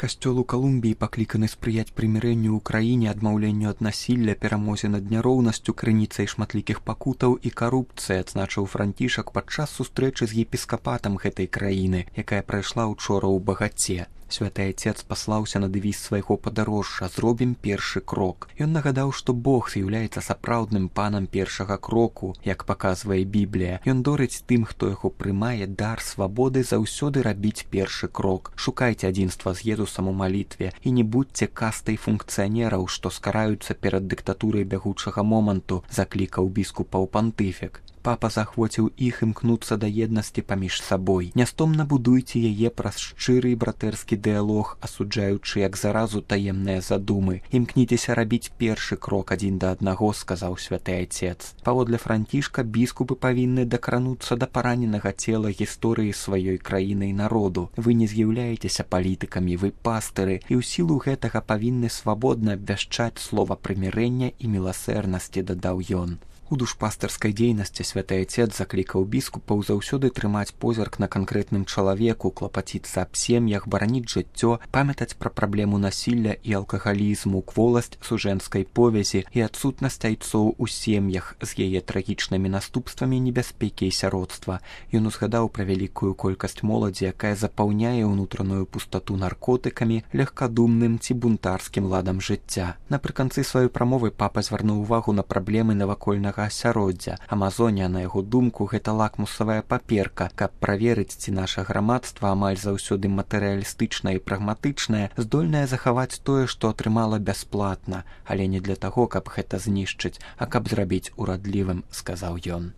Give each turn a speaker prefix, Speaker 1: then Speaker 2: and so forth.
Speaker 1: Касцёл у Калумбіі пакліканы спрыяць прымірэнню ў краіне, адмаўленню ад насілля, перамозе над няроўнасцю, крыніцай шматлікіх пакутаў і карупцыі, адзначыў Францішак падчас сустрэчы з епіскапатам гэтай краіны, якая прайшла учора ў Багаце. Святы Айцец паслаўся на дэвіз свайго падарожжа «Зробім першы крок». Ён нагадаў, што Бог з'яўляецца сапраўдным панам першага кроку, як паказвае Біблія. Ён дорыць тым, хто яго прымае, дар свабоды заўсёды рабіць першы крок. Шукайце адзінства з Езусам у малітве і не будзьце кастай функцыянераў, што скараюцца перад дыктатурай бягучага моманту, заклікаў біскупаў пантыфік. Папа захвоціў іх імкнуцца да еднасці паміж сабой. Нястомна будуйце яе праз шчыры і братэрскі дыялог, асуджаючы як заразу таемныя задумы. Імкніцеся рабіць першы крок адзін да аднаго, сказаў святы Айцец. Паводле Францішка, біскупы павінны дакрануцца да параненага цела гісторыі сваёй краіны і народу. Вы не з'яўляецеся палітыкамі, вы пастыры, і ў сілу гэтага павінны свабодна абвяшчаць слова прымірэння і міласэрнасці, дадаў ён. У душпастарскай дзейнасці святы Айцец заклікаў біскупаў заўсёды трымаць позірк на канкрэтным чалавеку, клапаціцца аб сем'ях, бараніць жыццё, памятаць пра праблему насілля і алкагалізму, кволасць сужэнскай повязі і адсутнасць айцоў у сем'ях з яе трагічнымі наступствамі небяспекі і сяродства. Ён узгадаў пра вялікую колькасць моладзі, якая запаўняе ўнутраную пустату наркотыкамі, легкадумным ці бунтарскім ладам жыцця. Напрыканцы сваёй прамовы папа звярнуў увагу на праблемы навакольнага асяроддзя. Амазонія, на яго думку, гэта лакмусавая паперка, каб праверыць, ці наша грамадства амаль заўсёды матэрыялістычнае і прагматычнае, здольнае захаваць тое, што атрымала бясплатна, але не для таго, каб гэта знішчыць, а каб зрабіць урадлівым, сказаў ён.